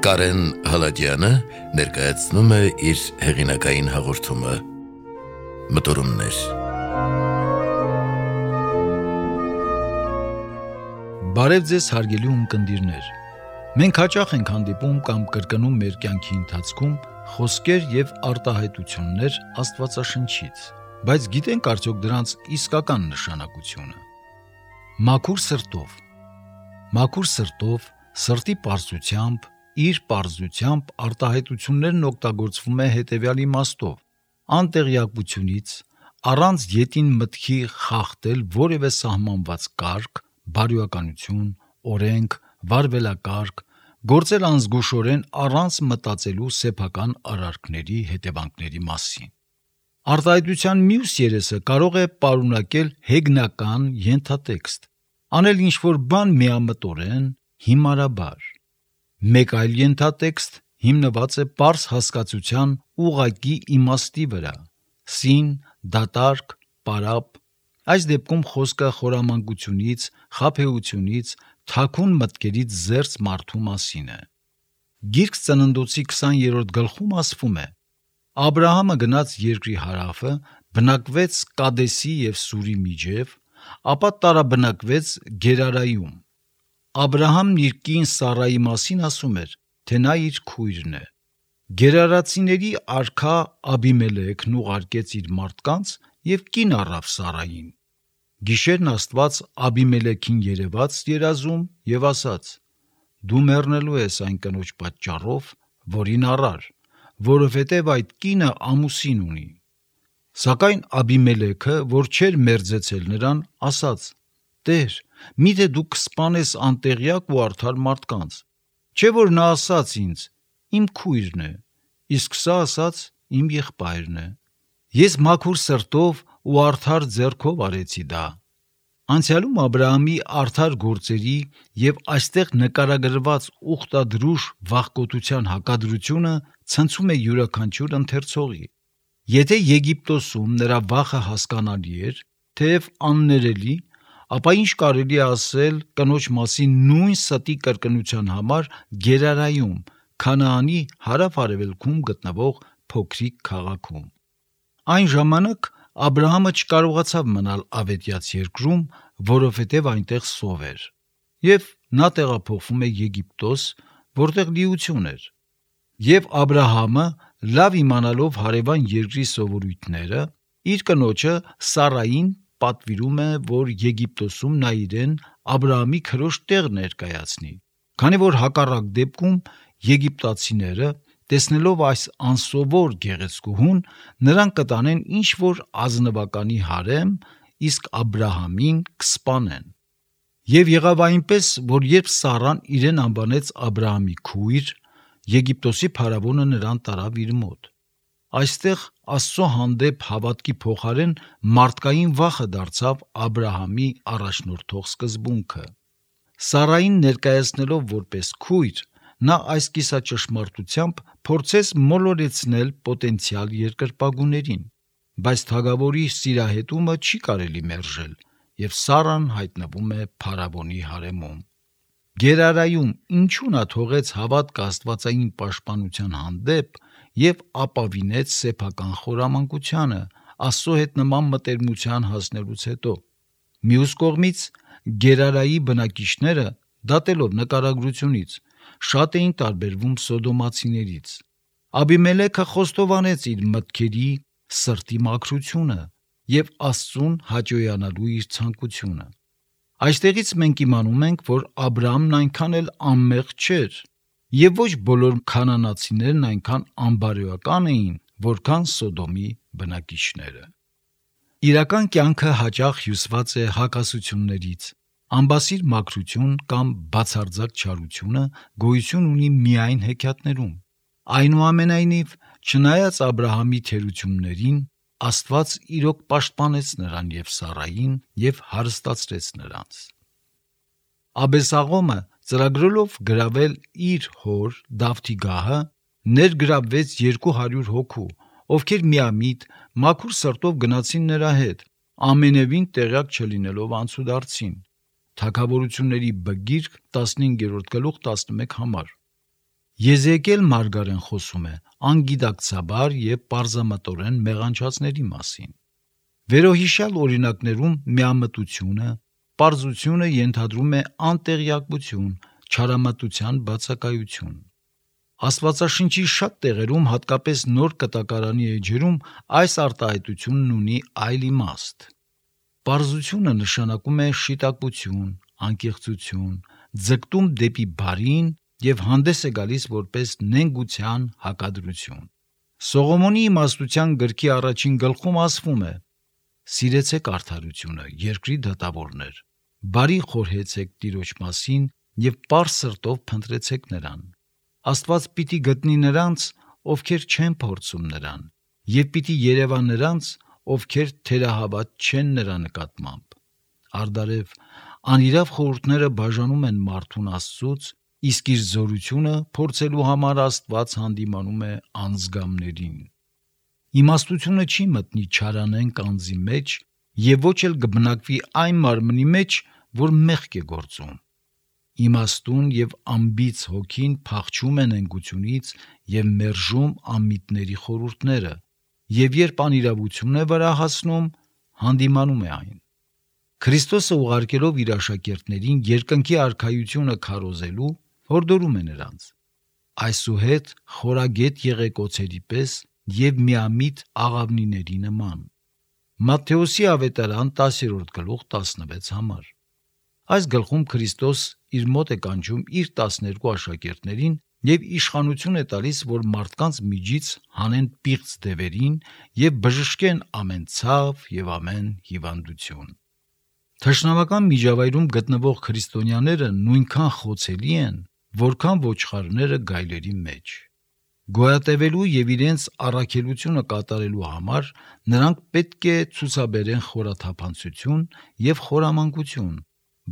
Կարեն Հալաջյանը ներկայացնում է իր հեղինակային հաղորդումը Մտորումներ։ Բարև ձեզ հարգելի ունկնդիրներ։ Մենք հաճախ ենք հանդիպում կամ կրկնում մեր կյանքի ընթացքում խոսքեր եւ արտահայտություններ Աստվածաշնչից, բայց գիտենք արդյոք դրանց իսկական նշանակությունը։ Մաքուր սրտով, սրտի պարզությամբ, իր պարզությամբ արտահայտություններն օգտագործվում է հետևյալ իմաստով. անտեղյակությունից, առանց ետին մտքի խախտել որևէ սահմանված կարգ, բարոյականություն, օրենք, վարվելակարգ, գործել անզգուշորեն առանց մտածելու սեփական արարքների հետևանքների մասին։ Արտահայտության մյուս երեսը կարող է պարունակել հեգնական ենթատեքստ, անել ինչ-որ բան միամտորեն, հիմարաբար։ Մեկ այլ ենթատեքստ հիմնված է պարզ հասկացության ուղղակի իմաստի վրա, սին, դատարկ, պարապ։ Այս դեպքում խոսքը խորամանկությունից, խաբեությունից, թաքուն մտքերից զերծ մարդու մասին է։ Գիրք Ծննդոցի 20-րդ գլխում ասվում է. Աբրահամը գնաց երկրի հարավը, բնակվեց Կադեսի և Սուրի միջև, ապա տարաբնակվեց Գերարայում։ Աբրահամն իր կին Սառայի մասին ասում էր, թե նա իր քույրն է։ Գերարացիների արքա Աբիմելեքն ուղարկեց իր մարդկանց և կին առավ Սառային։ Գիշերն Աստված Աբիմելեքին երևաց երազում և ասաց. «Դու մեռնելու ես այն կնոջ պատճառով, որին առար, որովհետև այդ կինը ամուսին ունի»։ Սակայն Աբիմելեքը, որ չէր մերձեցել նրան, ասաց. «Տեր, միթե դու կսպանես անտեղյակ ու արդար մարդկանց։ Չէ՞ որ նա ասաց ինձ. իմ քույրն է, իսկ սա ասաց իմ եղբայրն է։ Ես մաքուր սրտով ու արդար ձեռքով արեցի դա»։ Անցյալում Աբրահամի արդար գործերի և այստեղ նկարագրված ուխտադրուժ վախկոտության հակադրությունը ցնցում է յուրաքանչյուր ընթերցողի։ Եթե Եգիպտոսում նրա վախը հասկանալի էր, թեև աններելի, ապա ինչ կարելի է ասել կնոջ մասին նույն ստի կրկնության համար Գերարայում, Քանաանի հարավ-արևելքում գտնվող փոքրիկ քաղաքում։ Այն ժամանակ Աբրահամը չկարողացավ մնալ ավետյաց երկրում, որովհետև այնտեղ սով էր, և նա տեղափոխվում է Եգիպտոս, որտեղ լիություն էր։ Եվ Աբրահամը, լավ իմանալով հարևան երկրի սովորույթները, իր կնոջը Սառային պատվիրում է, որ Եգիպտոսում նա իրեն Աբրահամի քրոջ տեղ ներկայացնի, քանի որ հակառակ դեպքում եգիպտացիները, տեսնելով այս անսովոր գեղեցկուհուն, նրան կտանեն ինչ-որ ազնվականի հարեմ, իսկ Աբրահամին կսպանեն։ Եվ եղավ այնպես, որ երբ Սառան իրեն անվանեց Աբրահամի քույր, Եգիպտոսի փարավոնը նրան տարավ իր մոտ։ Այստեղ Աստծո հանդեպ հավատքի փոխարեն մարդկային վախը դարձավ Աբրահամի առաջնորդող սկզբունքը։ Սառային ներկայացնելով որպես քույր, նա այս կիսաճշմարտությամբ փորձեց մոլորեցնել պոտենցիալ երկրպագուներին, բայց թագավորի սիրահետումը չի կարելի մերժել, և Սառան հայտնվում է փարավոնի հարեմում։ Գերարայում ինչու նա թողեց հավատքը աստվածային պաշտպանության հանդեպ և ապավինեց սեփական խորամանկությանը Աստծո հետ նման մտերմության հասնելուց հետո։ Մյուս կողմից, Գերարայի բնակիչները, դատելով նկարագրությունից, շատ էին տարբերվում սոդոմացիներից։ Աբիմելեքը խոստովանեց իր մտքերի, սրտի մաքրությունը և Աստծուն հաճոյանալու իր ցանկությունը։ Այստեղից մենք իմանում ենք, որ Աբրահամն այնքան էլ անմեղ չէր, և ոչ բոլոր քանանացիներն այնքան անբարոյական էին, որքան Սոդոմի բնակիչները։ Իրական կյանքը հաճախ հյուսված է հակասություններից։ Անբասիր մաքրություն կամ բացարձակ չարությունը գոյություն ունի միայն հեքիաթներում։ Այնուամենայնիվ, չնայած Աբրահամի թերություններին, Աստված իրոք պաշտպանեց նրան և Սառային և հարստացրեց նրանց։ Աբեսաղոմը, ծրագրելով գրավել իր հոր Դավթի գահը, ներգրավվեց 200 հոգու, ովքեր միամիտ, մաքուր սրտով գնացին նրա հետ, ամենևին տեղյակ չլինելով անցուդարձին։ Թագավորությունների բգիրք 15-րդ գլուխ 11 համար։ Եզեկիել մարգարեն խոսում է անգիտակցաբար եւ պարզամտորեն մեղանչածների մասին։ Վերոհիշյալ օրինակներում միամտությունը, պարզությունը ենթադրում է անտեղյակություն, չարամտության բացակայություն։ Աստվածաշնչի շատ տեղերում, հատկապես Նոր Կտակարանի էջերում, այս արտահայտությունն ունի այլ իմաստ։ Պարզությունը նշանակում է շիտակություն, անկեղծություն, ձգտում դեպի բարին եւ հանդես է գալիս որպես նենգության հակադրություն։ Սողոմոնի իմաստության գրքի առաջին գլխում ասվում է. «Սիրեցեք արդարությունը, երկրի դատավորներ, բարի խորհեցեք Տիրոջ մասին եւ պարզ սրտով փնտրեցեք նրան։ Աստված պիտի գտնի նրանց, ովքեր չեն փորձում նրան, եւ պիտի երևա նրանց, ովքեր թերահավատ չեն նրա նկատմամբ։ Արդարև անիրավ խորհուրդները բաժանում են մարդուն Աստծուց, իսկ իր զորությունը փորձելու համար Աստված հանդիմանում է անզգամներին։ Իմաստությունը չի մտնի չարանեն կանձի մեջ եւ ոչ էլ կբնակվի այն մարմնի մեջ, որ մեղք է գործում։ Իմաստուն եւ ամբից հոգին փախչում են ընկությունից եւ մերժում անմիտների խորհուրդները, եւ երբ անիրավություն է վրա հասնում, հանդիմանում է այն։ Քրիստոսը ուղարկելով իր աշակերտներին երկնքի արքայությունը քարոզելու, հորդորում է նրանց. այսուհետ խորագետ եղեք օձերի պես եւ միամիտ աղավնիների նման։ Մատթեոսի ավետարան 10-րդ գլուխ 16 համար։ Այս գլխում Քրիստոս իր մոտ է կանչում իր 12 աշակերտներին եւ իշխանություն է տալիս, որ մարդկանց միջից հանեն պիղծ դևերին եւ բժշկեն ամեն ցավ եւ ամեն հիվանդություն։ Թշնամական միջավայրում գտնվող քրիստոնյաները նույնքան խոցելի են, որքան ոչխարները գայլերի մեջ։ Գոյատևելու եւ իրենց առաքելությունը կատարելու համար նրանք պետք է ցուցաբերեն խորաթափանցություն եւ խորամանկություն,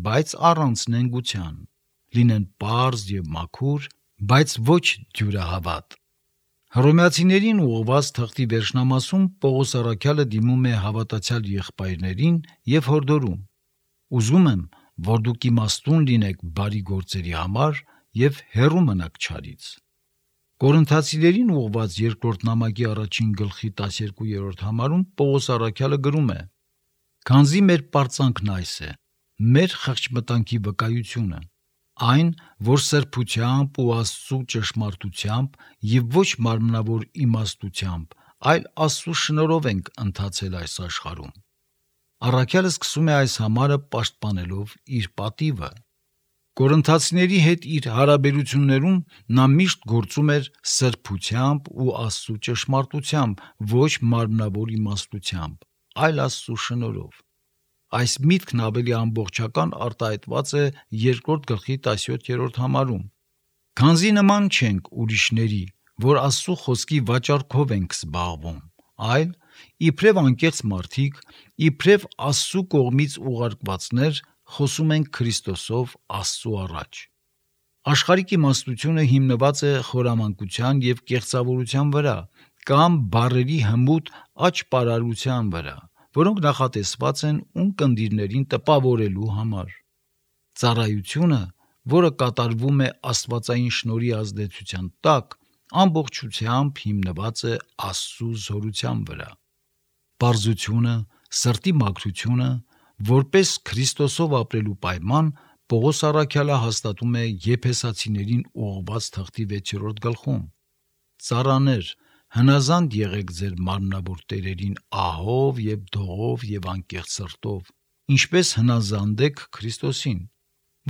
բայց առանց նենգության, լինեն պարզ եւ մաքուր, բայց ոչ դյուրահավատ։ Հռոմեացիներին ուղղված թղթի վերջնամասում Պողոս առաքյալը դիմում է հավատացյալ եղբայրներին եւ հորդորում. ուզում եմ, որ դուք իմաստուն լինեք բարի գործերի համար եւ հեռու մնաք չարից։ Կորինթացիներին ուղղված երկրորդ նամակի առաջին գլխի 12-րդ համարում Պողոս առաքյալը գրում է. «Քանզի մեր պարծանքն այս է, մեր խղճմտանքի վկայությունը, այն, որ սրբությամբ ու Աստծու ճշմարտությամբ եւ ոչ մարմնավոր իմաստությամբ, այլ Աստծու շնորհով ենք ընթացել այս աշխարհում»։ Առաքյալը սկսում է այս համարը պաշտպանելով իր պատիվը։ Կորինթացիների հետ իր հարաբերություններում նա միշտ գործում էր սրբությամբ ու Աստծու ճշմարտությամբ, ոչ մարմնավոր իմաստությամբ, այլ Աստծու շնորհով։ Այս միտքն ավելի ամբողջական արտահայտված է 2-րդ գլխի 17-րդ համարում։ Քանզի նման չենք ուրիշների, որ Աստծու խոսքի վաճառքով ենք զբաղվում, այլ իբրև անկեղծ մարդիկ, իբրև Աստծու կողմից ուղարկվածներ խոսում ենք Քրիստոսով Աստծու առաջ։ Աշխարհիկ իմաստությունը հիմնված է խորամանկության եւ կեղծավորության վրա կամ բառերի հմուտ աճպարարության վրա, որոնք նախատեսված են ունկնդիրներին տպավորելու համար։ Ծառայությունը, որը կատարվում է աստվածային շնորհի ազդեցության տակ, ամբողջությամբ հիմնված է Աստծու զորության վրա։ Պարզությունը, սրտի մաքրությունը, որպես Քրիստոսով ապրելու պայման, Պողոս առաքյալը հաստատում է Եփեսացիներին ուղղված թղթի 6-րդ գլխում. «Ծառաներ, հնազանդ եղեք ձեր մարմնավոր տերերին ահով եւ դողով եւ անկեղծ սրտով, ինչպես հնազանդ եք Քրիստոսին,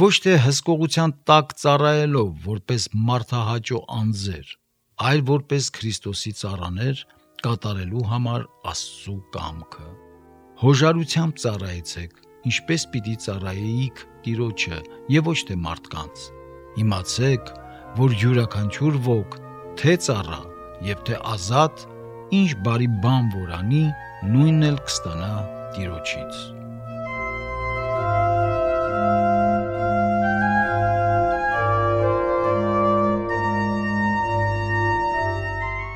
ոչ թե հսկողության տակ ծառայելով, որպես մարդահաճո անձեր, այլ որպես Քրիստոսի ծառաներ, կատարելու համար Աստծու կամքը։ Հոժարությամբ ծառայեցեք, ինչպես պիտի ծառայեիք Տիրոջը եւ ոչ թե մարդկանց։ Իմացեք, որ յուրաքանչյուր ոք թե ծառա եւ թե ազատ, ինչ բարի բան որ անի, նույնն էլ կստանա Տիրոջից»։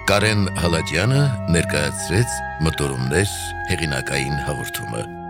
Կարեն Հալաջյանը ներկայացրեց մտորումներ հեղինակային հաղորդումը։